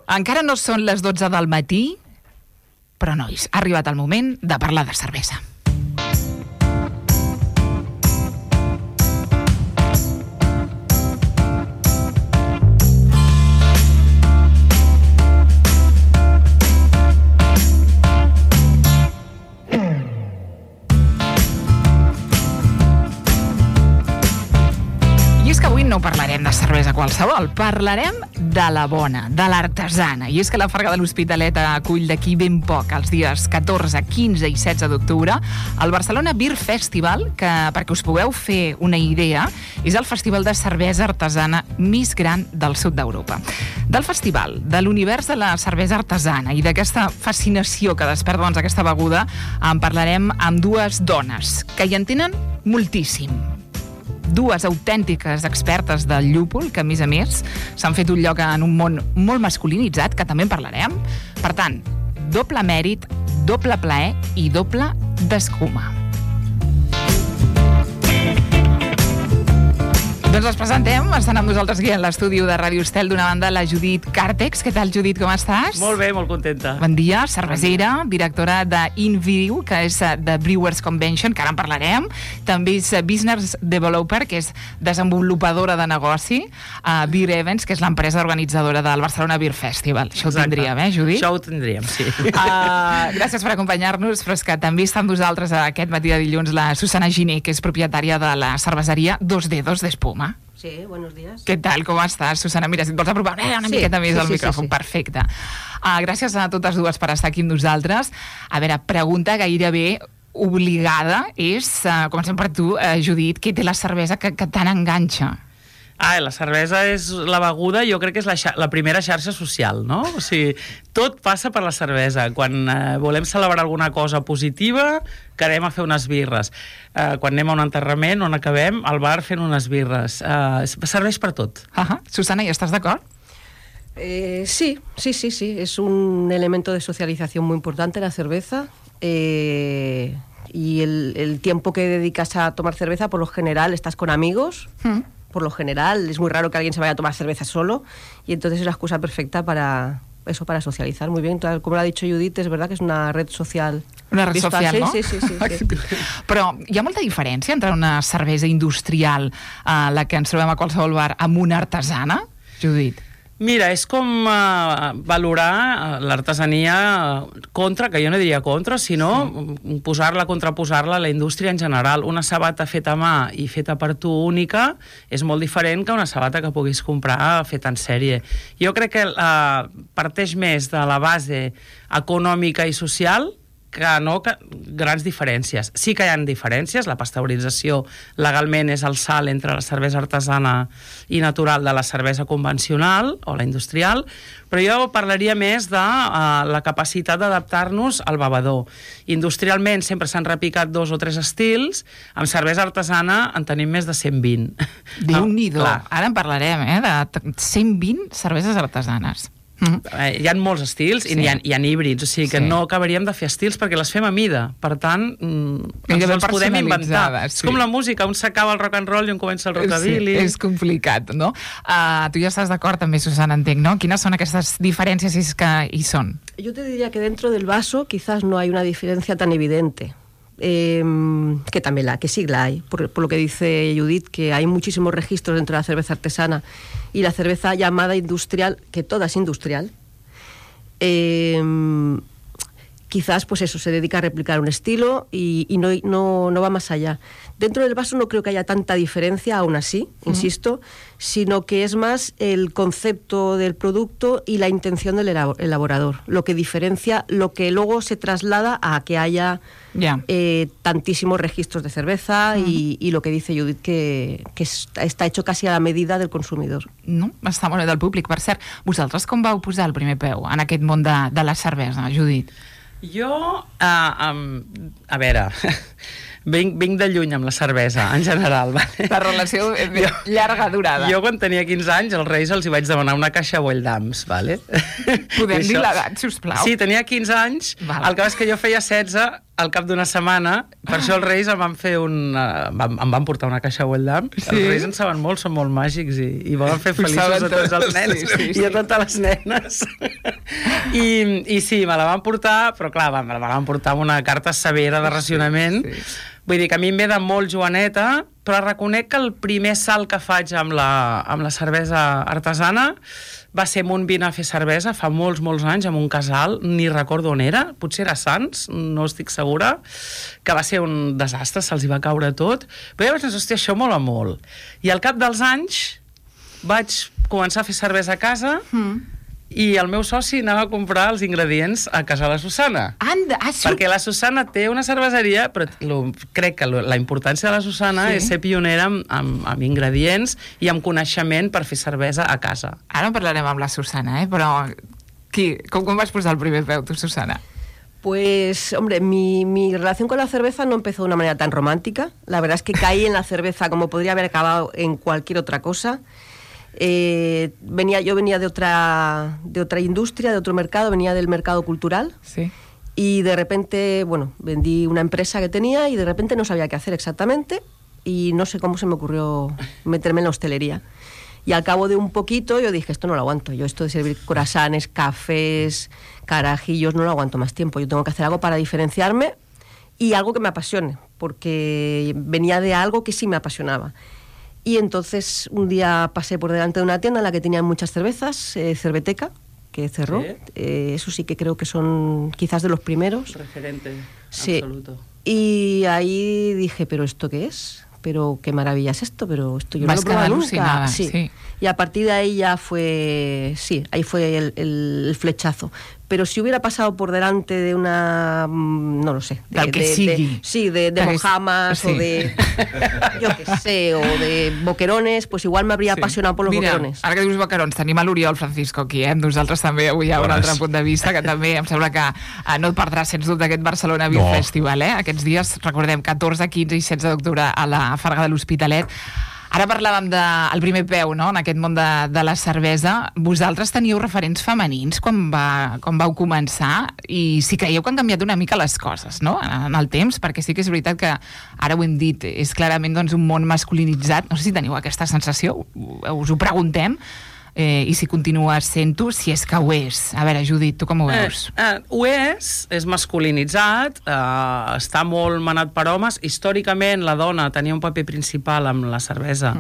Encara no són les 12 del matí, però, nois, ha arribat el moment de parlar de cervesa. No parlarem de cervesa qualsevol, parlarem de la bona, de l'artesana. I és que la Farga de l'Hospitalet acull d'aquí ben poc, els dies 14, 15 i 16 d'octubre, el Barcelona Beer Festival, que, perquè us pugueu fer una idea, és el festival de cervesa artesana més gran del sud d'Europa. Del festival, de l'univers de la cervesa artesana i d'aquesta fascinació que desperta aquesta beguda, en parlarem amb dues dones que hi entenen moltíssim. Dues autèntiques expertes del llúpol, que, a més, s'han fet un lloc en un món molt masculinitzat, que també en parlarem. Per tant, doble mèrit, doble plaer i doble d'escuma. Doncs els presentem, estan amb nosaltres aquí en l'estudi de Ràdio Estel, d'una banda la Judit Càrtex. Què tal, Judit, com estàs? Molt bé, molt contenta. Bon dia, cervesera, directora d'Invidiu, que és de Brewers Convention, que ara en parlarem. També és Business Developer, que és desenvolupadora de negoci, Beer Events, que és l'empresa organitzadora del Barcelona Beer Festival. Això ho tindríem, Judit? Això ho tindríem, sí. Gràcies per acompanyar-nos, però és que també està amb nosaltres aquest matí de dilluns la Susana Giner, que és propietària de la cerveseria Dos Dedos d'Espuma. Sí, buenos días. Què tal, com estàs, Susana? Mira, si et vols apropar una miqueta més al micròfon. Sí. Perfecte. Gràcies a totes dues per estar aquí amb nosaltres. A veure, pregunta gairebé obligada és, comencem per tu, Judit, què té la cervesa que tant enganxa? La cervesa és la beguda, jo crec que és la primera xarxa social, no? O sigui, tot passa per la cervesa. Quan volem celebrar alguna cosa positiva, quedem a fer unes birres. Quan anem a un enterrament, on acabem, al bar fent unes birres. Serveix per tot. Susana, ¿y estás de acuerdo? Sí. Es un elemento de socialización muy importante la cerveza. Y el tiempo que dedicas a tomar cerveza, por lo general, estás con amigos. Por lo general, es muy raro que alguien se vaya a tomar cerveza solo, y entonces es la excusa perfecta para socializar. Muy bien, como lo ha dicho Judit, es verdad que es una red social. Una red social, no? Sí. Però hi ha molta diferència entre una cervesa industrial, la que ens trobem a qualsevol bar, amb una artesana, Judit? Mira, és com valorar l'artesania contra, que jo no diria contra, sinó posar-la, contraposar-la a la indústria en general. Una sabata feta a mà i feta per tu única és molt diferent que una sabata que puguis comprar feta en sèrie. Jo crec que parteix més de la base econòmica i social que grans diferències. Sí que hi ha diferències, la pasteurització legalment és el salt entre la cervesa artesana i natural de la cervesa convencional o la industrial, però jo parlaria més de la capacitat d'adaptar-nos al bevedor. Industrialment sempre s'han repicat 2 o 3 estils, amb cervesa artesana en tenim més de 120. Déu-n'hi-do, ara en parlarem, de 120 cerveses artesanes. Hi ha molts estils i hi ha híbrids, o sigui que no acabaríem de fer estils perquè les fem a mida, per tant ens els podem inventar. És com la música, un s'acaba el rock and roll i un comença el rockabilly. És complicat, no? Tu ja estàs d'acord també, Susana, entenc, no? Quines són aquestes diferències, si és que hi són? Yo te diría que dentro del vaso quizás no hay una diferencia tan evidente. Que también que sí la hay, por lo que dice Judit, que hay muchísimos registros dentro de la cerveza artesana y la cerveza llamada industrial, que toda es industrial, quizás pues eso, se dedica a replicar un estilo y no va más allá. Dentro del vaso no creo que haya tanta diferencia, aún así, insisto, sino que es más el concepto del producto y la intención del elaborador, lo que diferencia, lo que luego se traslada a que haya tantísimos registros de cerveza y lo que dice Judit, que està hecho casi a la medida del consumidor. No? Està molt bé del públic. Per cert, vosaltres com vau posar el primer peu en aquest món de la cervesa, Judit? Jo, a veure... Vinc de lluny amb la cervesa, en general. La relació llarga durada. Jo, quan tenia 15 anys, als Reis els hi vaig demanar una caixa Boll-Dams, vale? Podem dir l'edat, sisplau? Sí, tenia 15 anys. El que és que jo feia 16 al cap d'una setmana, per això els Reis em van portar una caixa Weldam. Sí? Els Reis en saben molt, són molt màgics i volen fer feliços a tots els nens i a totes les nenes. I sí, me la van portar, però clar, me la van portar amb una carta severa de racionament. Vull dir que a mi em ve de molt joveneta, però reconec que el primer salt que faig amb la cervesa artesana va ser amb un vin a fer cervesa fa molts anys, amb un casal, ni recordo on era, potser era Sants, no estic segura, que va ser un desastre, se'ls hi va caure tot, però ja vaig pensar, hòstia, això mola molt. I al cap dels anys vaig començar a fer cervesa a casa i el meu soci anava a comprar els ingredients a casa de la Susana. Perquè la Susana té una cerveseria, però crec que la importància de la Susana és ser pionera amb ingredients i amb coneixement per fer cervesa a casa. Ara en parlarem amb la Susana, però com vas posar el primer peu, tu, Susana? Pues, hombre, mi relación con la cerveza no empezó de una manera tan romántica. La verdad es que caí en la cerveza como podría haber acabado en cualquier otra cosa. Yo venía de otra industria, de otro mercado, venía del mercado cultural. Sí. Y de repente, bueno, vendí una empresa que tenía y de repente no sabía qué hacer exactamente y no sé cómo se me ocurrió meterme en la hostelería. Y al cabo de un poquito yo dije, esto no lo aguanto. Yo esto de servir croissants, cafés, carajillos, no lo aguanto más tiempo. Yo tengo que hacer algo para diferenciarme y algo que me apasione, porque venía de algo que sí me apasionaba. Y entonces un día pasé por delante de una tienda en la que tenían muchas cervezas, Cerveteca, que cerró. ¿Sí? Eso sí que creo que son quizás de los primeros. Referente, sí. Absoluto. Y ahí dije, ¿pero esto qué es? Pero qué maravilla es esto, pero esto yo no lo he probado nunca. Sí. Y a partir de ahí ya fue, ahí fue el flechazo. Pero si hubiera pasado por delante de una, no lo sé, de mojamas o de, yo qué sé, o de boquerones, pues igual me habría apasionado por los boquerones. Ara que dius boquerons, tenim a l'Oriol Francisco aquí, nosaltres també avui hi ha un altre punt de vista que també em sembla que no et perdràs sens dubte aquest Barcelona Beer Festival, Aquests dies, recordem, 14, 15 i 16 d'octubre a la Farga de l'Hospitalet. Ara parlàvem del primer peu, no?, en aquest món de la cervesa. Vosaltres teníeu referents femenins quan vau començar i si creieu que han canviat una mica les coses, no?, en el temps, perquè sí que és veritat que, ara ho hem dit, és clarament doncs, un món masculinitzat. No sé si teniu aquesta sensació, us ho preguntem, i si continua sent-ho, si és que ho és. A veure, Judit, tu com ho veus? Ho és masculinitzat, està molt manat per homes. Històricament la dona tenia un paper principal amb la cervesa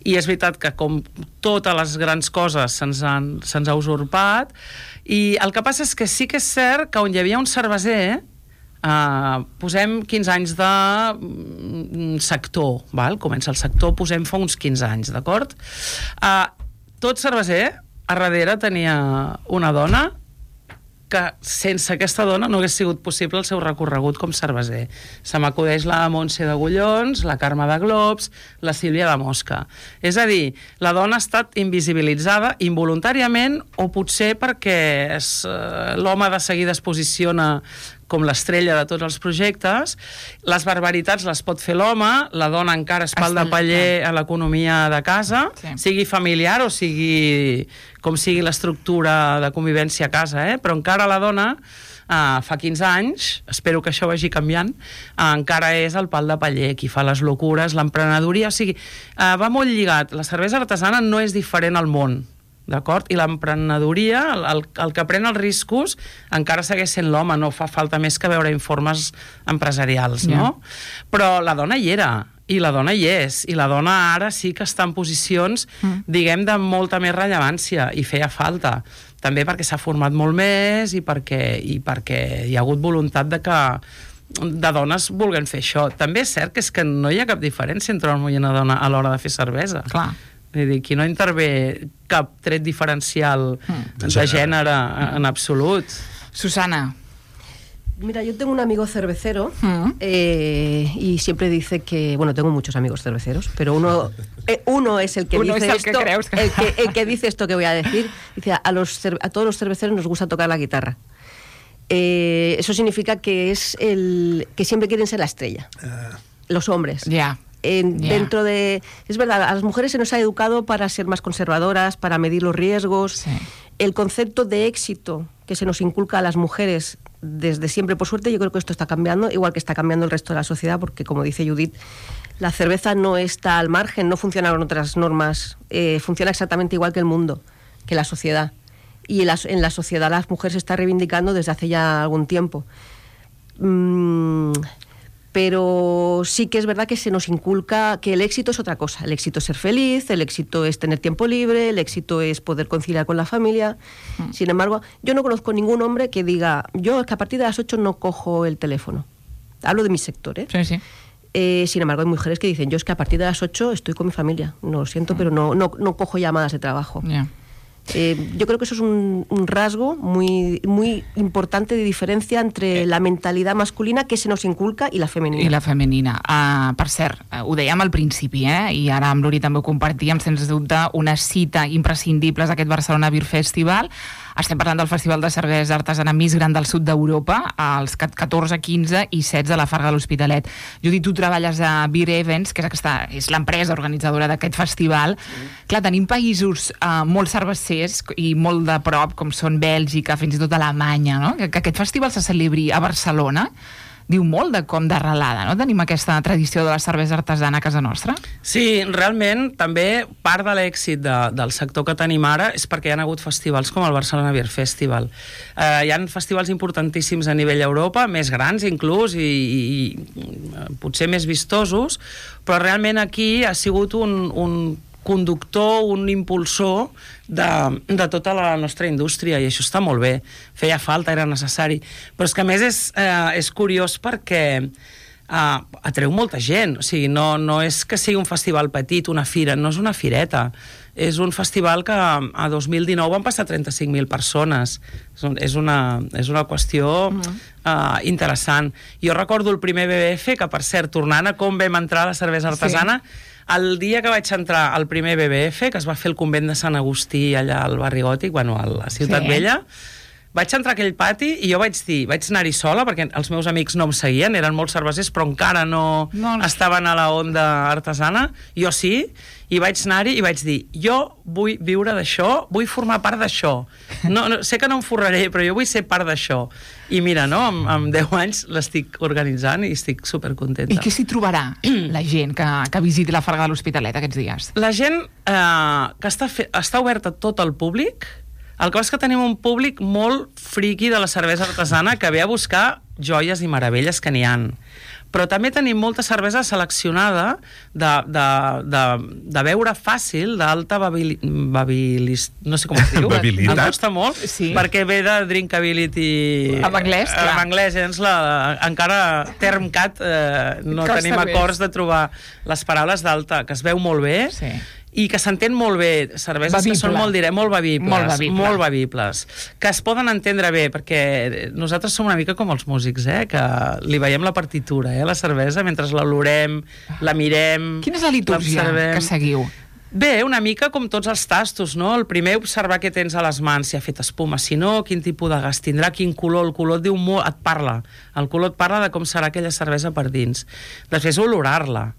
i és veritat que com totes les grans coses se'ns ha usurpat, i el que passa és que sí que és cert que on hi havia un cerveser, posem 15 anys de sector, val? Comença el sector, posem fa uns 15 anys, d'acord? Tot cerveser, a darrere tenia una dona que sense aquesta dona no hagués sigut possible el seu recorregut com cerveser. Se m'acudeix la Montse d'Agullons, la Carme de Globs, la Sílvia de Mosca. És a dir, la dona ha estat invisibilitzada involuntàriament o potser perquè l'home de seguida es posiciona com l'estrella de tots els projectes. Les barbaritats les pot fer l'home, la dona encara és pal de paller a l'economia de casa, sigui familiar o sigui com sigui l'estructura de convivència a casa, però encara la dona, fa 15 anys, espero que això vagi canviant, encara és el pal de paller, qui fa les locures, l'emprenedoria, o sigui, va molt lligat. La cervesa artesana no és diferent al món, d'acord? I l'emprenedoria, el que pren els riscos, encara segueix sent l'home, no fa falta més que veure informes empresarials, no? Però la dona hi era, i la dona hi és, i la dona ara sí que està en posicions, diguem, de molta més rellevància, i feia falta. També perquè s'ha format molt més i perquè hi ha hagut voluntat de dones vulguin fer això. També és cert que és que no hi ha cap diferència entre un home i una dona a l'hora de fer cervesa. Clar. És a dir, aquí no intervé cap tret diferencial de gènere en absolut. Susana. Mira, yo tengo un amigo cervecero y siempre dice que, bueno, tengo muchos amigos cerveceros, pero uno es el que dice esto, el que dice esto que voy a decir. Dice, a todos los cerveceros nos gusta tocar la guitarra. Eso significa que que siempre quieren ser la estrella, los hombres. Ya. Dentro de... Es verdad, a las mujeres se nos ha educado para ser más conservadoras, para medir los riesgos. Sí. El concepto de éxito que se nos inculca a las mujeres desde siempre. Por suerte, yo creo que esto está cambiando, igual que está cambiando el resto de la sociedad, porque, como dice Judith, la cerveza no está al margen, no funciona con otras normas, funciona exactamente igual que el mundo, que la sociedad. Y en la sociedad las mujeres se está reivindicando desde hace ya algún tiempo. Pero sí que es verdad que se nos inculca que el éxito es otra cosa. El éxito es ser feliz, el éxito es tener tiempo libre, el éxito es poder conciliar con la familia. Sin embargo, yo no conozco ningún hombre que diga, yo es que a partir de las 8 no cojo el teléfono. Hablo de mi sector, ¿eh? Sí, sí. Sin embargo, hay mujeres que dicen, yo es que a partir de las 8 estoy con mi familia. No lo siento, pero no cojo llamadas de trabajo. Yeah. Yo creo que eso es un rasgo muy, muy importante de diferència entre la mentalitat masculina que se nos inculca i la femenina. I la femenina. Per cert, ho dèiem al principi, i ara amb l'Uri també ho compartíem, sens dubte, una cita imprescindible és aquest Barcelona Beer Festival. Estem parlant del Festival de Cervesa Artesana més gran del sud d'Europa, els 14, 15 i 16 a la Farga de l'Hospitalet. Judit, tu treballes a Beer Events, que és l'empresa organitzadora d'aquest festival. Clar, tenim països molt cervecers i molt de prop, com són Bèlgica, fins i tot Alemanya, no? Que aquest festival se celebri a Barcelona diu molt de com d'arrelada, no? Tenim aquesta tradició de la cervesa artesana a casa nostra. Sí, realment, també part de l'èxit del sector que tenim ara és perquè hi ha hagut festivals com el Barcelona Beer Festival. Hi ha festivals importantíssims a nivell Europa, més grans inclús, i potser més vistosos, però realment aquí ha sigut un conductor, un impulsor de tota la nostra indústria, i això està molt bé. Feia falta, era necessari. Però és que a més és curiós perquè atreu molta gent. O sigui, no és que sigui un festival petit, una fira, no és una fireta. És un festival que a 2019 van passar 35.000 persones. És una qüestió interessant. Jo recordo el primer BBF, que per cert, tornant a com vam entrar a la cervesa artesana, el dia que vaig entrar al primer BBF, que es va fer el convent de Sant Agustí allà al barri Gòtic, a la Ciutat Vella, vaig entrar a aquell pati i jo vaig anar-hi sola, perquè els meus amics no em seguien, eren molts cervesers, però encara no estaven a la onda artesana, jo sí, i vaig anar-hi i vaig dir, jo vull viure d'això, vull formar part d'això. Sé que no em forraré, però jo vull ser part d'això. I mira, amb 10 anys l'estic organitzant i estic supercontenta. I què s'hi trobarà la gent que visiti la Farga de l'Hospitalet aquests dies? La gent que està oberta a tot el públic. El que passa és que tenim un públic molt friqui de la cervesa artesana que ve a buscar joies i meravelles que n'hi han. Però també tenim molta cervesa seleccionada de beure fàcil, d'alta no sé com es diu. Babilitat. Em costa molt, perquè ve de drinkability en anglès, clar. En anglès, encara TermCat no tenim acords de trobar les paraules d'alta, que es veu molt bé, i que s'entén molt bé, cerveses que són molt bevibles, que es poden entendre bé, perquè nosaltres som una mica com els músics, que li veiem la partitura, la cervesa, mentre l'olorem, la mirem... Quina és la litúrgia que seguiu? Bé, una mica com tots els tastos, no? El primer, observar què tens a les mans, si ha fet espuma, si no, quin tipus de gas tindrà, quin color, el color et diu molt, et parla. El color et parla de com serà aquella cervesa per dins. Després, olorar-la.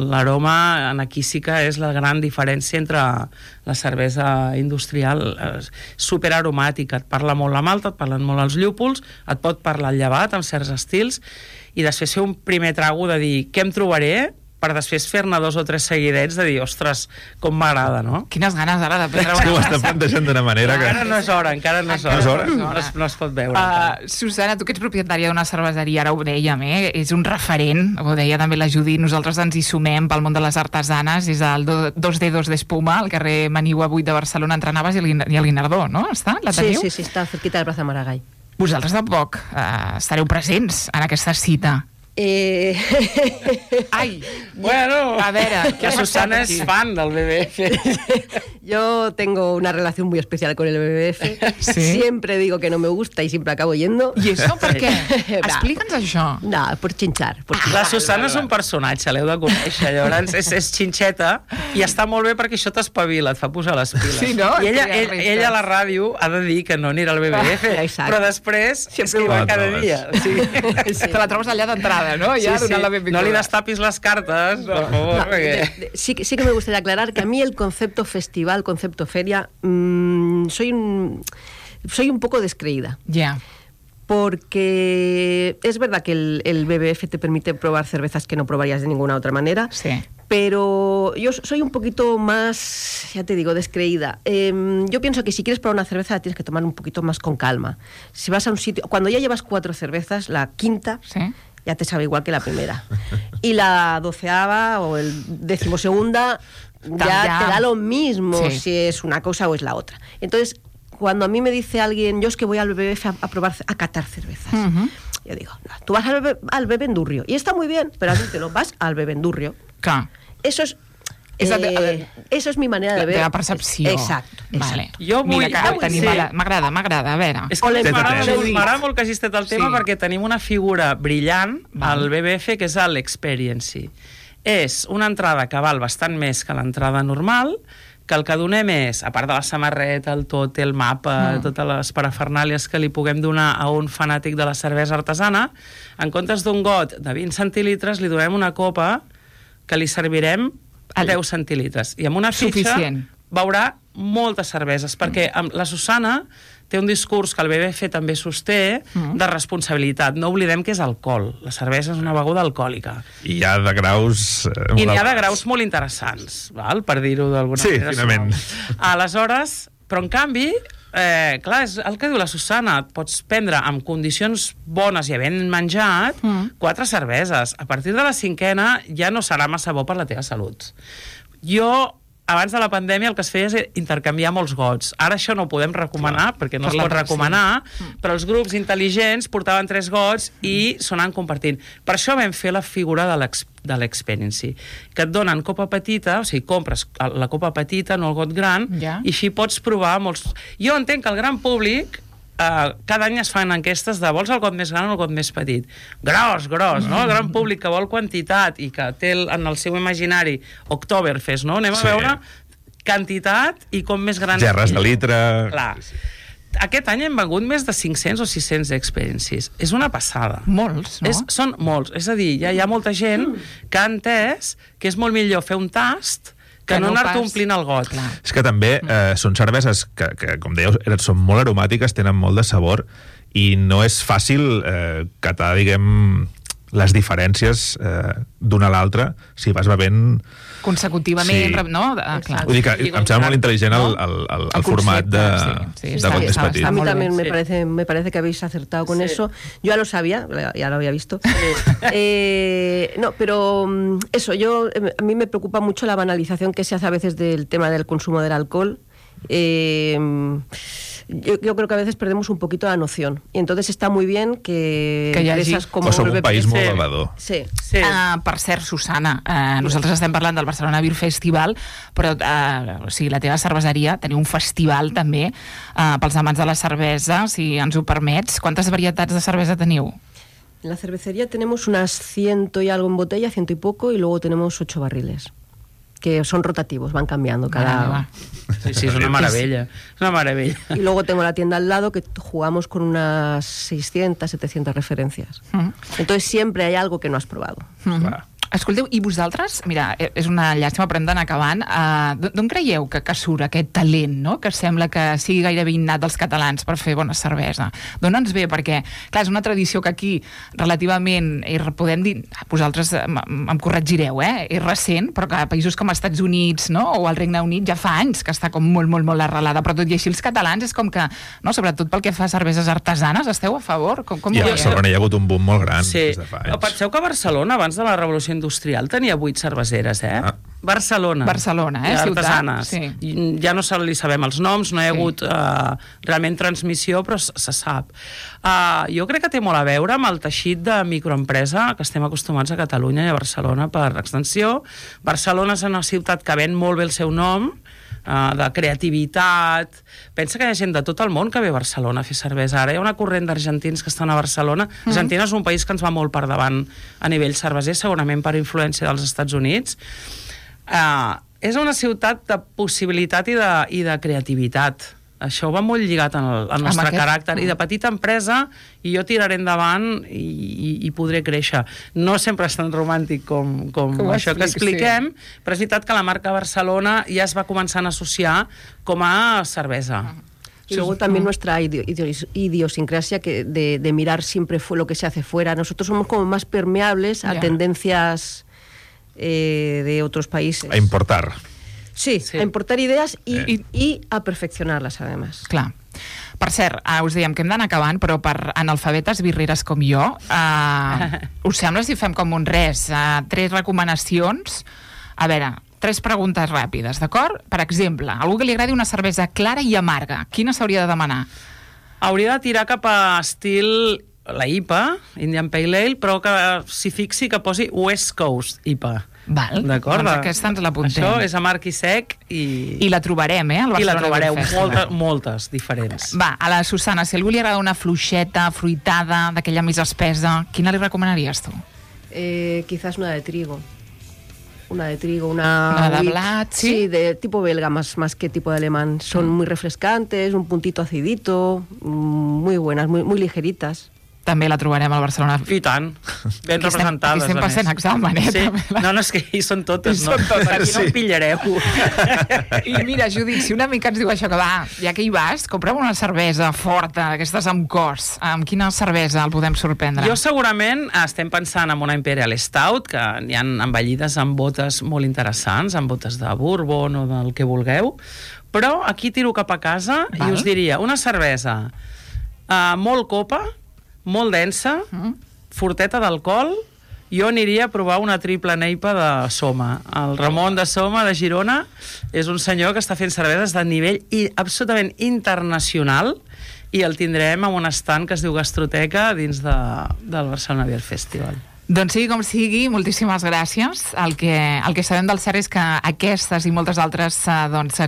L'aroma, aquí sí que és la gran diferència entre la cervesa industrial, superaromàtica. Et parla molt la malta, et parlen molt els llúpols, et pot parlar el llevat amb certs estils, i després fer un primer trago de dir què em trobaré, per després fer-ne 2 o 3 seguidets de dir, ostres, com m'agrada, no? Quines ganes ara de prendre una... Ho està plantejant d'una manera que... Encara no és hora. No es pot veure. Susana, tu que ets propietària d'una cerveseria, ara ho dèiem, és un referent, ho deia també la Judit, nosaltres ens hi sumem pel món de les artesanes, és el 2D2 d'Espuma, al carrer Manigua 8 de Barcelona, entre Navas i el Guinardó, no? Està? La teniu? Sí, està cerquita de Plaza Maragall. Vosaltres tampoc estareu presents en aquesta cita. Ai, bueno, a veure, que Susana es fan del BBF. Yo tengo una relación muy especial con el BBF. ¿Sí? Siempre digo que no me gusta y siempre acabo yendo. I això per què? Explica'ns això. No, por chinchar. La Susana és un personatge, l'heu de conèixer. Llavors és xinxeta i està molt bé perquè això t'espavila, et fa posar les piles. Sí, no? I ella a la ràdio ha de dir que no anirà al BBF, però després és que hi va cada dia. Te la trobes allà d'entrada, ¿no? Ya Sí. No li destapis les cartes, por favor. No, perquè... sí que me gustaría aclarar que a mí el concepto festival, concepto feria, soy un poco descreída. Ya. porque es verdad que el BBF te permite probar cervezas que no probarías de ninguna otra manera, Sí. pero yo soy un poquito más, ya te digo, descreída. Yo pienso que si quieres probar una cerveza la tienes que tomar un poquito más con calma. Si vas a un sitio, cuando ya llevas 4 cervezas, la quinta Sí. ya te sabe igual que la primera. Y la 12ª o el 12ª ya te da lo mismo si es una cosa o es la otra. Entonces, cuando a mí me dice alguien, yo es que voy al BBF a probar, a catar cervezas, yo digo, no, tú vas al Bebendurrio, y está muy bien, pero admítelo, vas al Bebendurrio. Clar. Eso es... eso és mi manera de ver. La percepció. Exacto. Vale. Jo vull... M'agrada, a veure. És que m'agrada molt que hagis tret el tema perquè tenim una figura brillant al BBF que és l'Experiency. És una entrada que val bastant més que l'entrada normal, que el que donem és, a part de la samarreta, el tot, el mapa, totes les parafernàlies que li puguem donar a un fanàtic de la cervesa artesana, en comptes d'un got de 20 centilitres li donem una copa que li servirem a 10 centilitres. I amb una fitxa veurà moltes cerveses, perquè la Susana té un discurs que el BBF també sosté de responsabilitat. No oblidem que és alcohol. La cervesa és una beguda alcohòlica. I hi ha de graus... I n'hi ha de graus molt interessants, val? Per dir-ho d'alguna manera. Sí, finament. Aleshores, però en canvi, clar, és el que diu la Susana, et pots prendre amb condicions bones i havent menjat 4 cerveses. A partir de la 5ª ja no serà massa bo per la teva salut. Jo... Abans de la pandèmia el que es feia és intercanviar molts gots. Ara això no ho podem recomanar, perquè no es pot recomanar, però els grups intel·ligents portaven 3 gots i s'ho compartint. Per això vam fer la figura de l'Experiency, que et donen copa petita, o sigui, compres la copa petita, no el got gran, i així pots provar molts... Jo entenc que el gran públic cada any es fan enquestes de vols el got més gran o el got més petit. Gros, no? El gran públic que vol quantitat i que té en el seu imaginari Oktoberfest, no? Anem a veure quantitat i com més gran... Gerres de litre... Clar. Aquest any hem vengut més de 500 o 600 experiences. És una passada. Molts, no? Són molts. És a dir, ja hi ha molta gent que ha entès que és molt millor fer un tast que no anar-te omplint el got. És que també són cerveses que, com dèieu, són molt aromàtiques, tenen molt de sabor, i no és fàcil catar, diguem, les diferències d'una a l'altra si vas bevent... consecutivament, no? Clar. Vull dir que em sembla molt intel·ligent el format de got més petit. A mí también me parece que habéis acertado con eso. Yo ya lo sabía, ya lo había visto. No, pero eso, a mí me preocupa mucho la banalización que se hace a veces del tema del consumo del alcohol. Yo creo que a veces perdemos un poquito la noción. Y entonces está muy bien que empresas como... Som un país molt bevedor. Sí. Per cert, Susana, nosaltres estem parlant del Barcelona Beer Festival, però o sigui, la teva cerveseria teniu un festival també pels amants de la cervesa, si ens ho permets. Quantes varietats de cervesa teniu? En la cervecería tenemos unas 100 y algo en botella, 100 y poco, y luego tenemos 8 barriles. Que son rotativos, van cambiando cada... Sí, es una maravilla. Es una maravilla. Y luego tengo la tienda al lado que jugamos con unas 600, 700 referencias. Entonces siempre hay algo que no has probado. Escolteu, i vosaltres, mira, és una llàstima, però hem d'anar acabant, d'on creieu que surt aquest talent, no?, que sembla que sigui gairebé innat dels catalans per fer bona cervesa? D'on ens ve? Perquè, clar, és una tradició que aquí relativament, podem dir, vosaltres em corregireu, és recent, però que a països com els Estats Units, no?, o el Regne Unit ja fa anys que està com molt, molt, molt arrelada, però tot i així els catalans és com que, no?, sobretot pel que fa a cerveses artesanes, esteu a favor? I a Barcelona hi ha hagut un boom molt gran des de fa anys. Penseu que Barcelona, abans de la Revolució Industrial, tenia 8 cerveseres, Barcelona, ciutat. Ja no li sabem els noms, no hi ha hagut realment transmissió, però se sap. Jo crec que té molt a veure amb el teixit de microempresa que estem acostumats a Catalunya i a Barcelona per extensió. Barcelona és una ciutat que ven molt bé el seu nom, de creativitat. Pensa que hi ha gent de tot el món que ve a Barcelona a fer cervesa. Ara hi ha una corrent d'argentins que estan a Barcelona. Argentina és un país que ens va molt per davant a nivell cerveser, segurament per influència dels Estats Units. És una ciutat de possibilitat i de creativitat. Això va molt lligat al nostre caràcter i de petita empresa, i jo tiraré endavant i podré créixer. No sempre és tan romàntic com això que expliquem, però és veritat que la marca Barcelona ja es va començant a associar com a cervesa. Y luego también nuestra idiosincrasia de mirar siempre lo que se hace fuera. Nosotros somos como más permeables a tendencias de otros países. A importar. Sí, a importar idees i a perfeccionar-les, además. Clar. Per cert, us dèiem que hem d'anar acabant, però per analfabetes birreres com jo, us sembla si fem com un res? 3 recomanacions. A veure, 3 preguntes ràpides, d'acord? Per exemple, algú que li agradi una cervesa clara i amarga, quina s'hauria de demanar? Hauria de tirar cap a estil la IPA, Indian Pale Ale, però que s'hi fixi que posi West Coast IPA. Val, d'acord? Doncs aquesta ens l'apuntem. Això és amarg i sec i la trobarem, al Barcelona i la trobareu, Beer Festival. moltes diferents. Va, a la Susana, si a algú li agrada una fluixeta, fruitada, d'aquella més espesa, quina li recomanaries tu? Quizás una de trigo. Una de trigo, una de blat, ¿sí? Sí, de tipo belga más que tipo de alemán. Son muy refrescantes, un puntito acidito, muy buenas, muy ligeritas. També la trobarem al Barcelona. I tant, ben representades. Aquí estem passant examen, Sí. No, és que hi són totes, no? Aquí no en pillareu. I mira, Judit, si una mica ens diu això, que va, ja que hi vas, compra'm una cervesa forta, d'aquestes amb cos. Amb quina cervesa el podem sorprendre? Jo segurament estem pensant en una Imperial Stout, que n'hi ha envellides amb botes molt interessants, amb botes de bourbon o del que vulgueu, però aquí tiro cap a casa i us diria una cervesa molt copa, molt densa, forteta d'alcohol. Jo aniria a provar una triple neipa de Soma. El Ramon de Soma, de Girona, és un senyor que està fent cerveses de nivell absolutament internacional i el tindrem en un estand que es diu Gastroteca dins del Barcelona Beer Festival. Doncs sigui com sigui, moltíssimes gràcies. El que sabem del cert és que aquestes i moltes altres,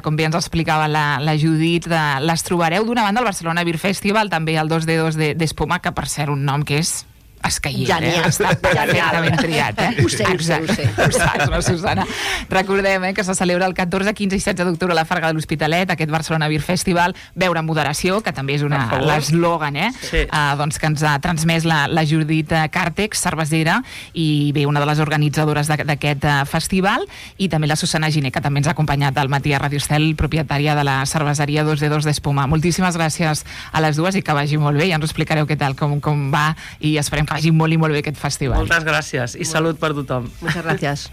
com bé ens explicava la Judit, les trobareu d'una banda al Barcelona Beer Festival, també al 2D2 d'Espuma, que per cert un nom que és escaient, Genial. Està perfectament triat, Ho sé. Ho saps, no, Susana? Recordem que se celebra el 14, 15 i 16 d'octubre a la Farga de l'Hospitalet, aquest Barcelona Beer Festival, beure amb moderació, que també és l'eslògan, Sí. doncs que ens ha transmès la Judit Càrtex, cervesera, i bé, una de les organitzadores d'aquest festival, i també la Susana Giner, que també ens ha acompanyat al matí a Radio Estel, propietària de la cerveseria 2D2 d'Espuma. Moltíssimes gràcies a les dues i que vagi molt bé. Ja ens ho explicareu què tal, com va, i esperem que vagi molt i molt bé aquest festival. Moltes gràcies i salut per tothom. Muchas gracias.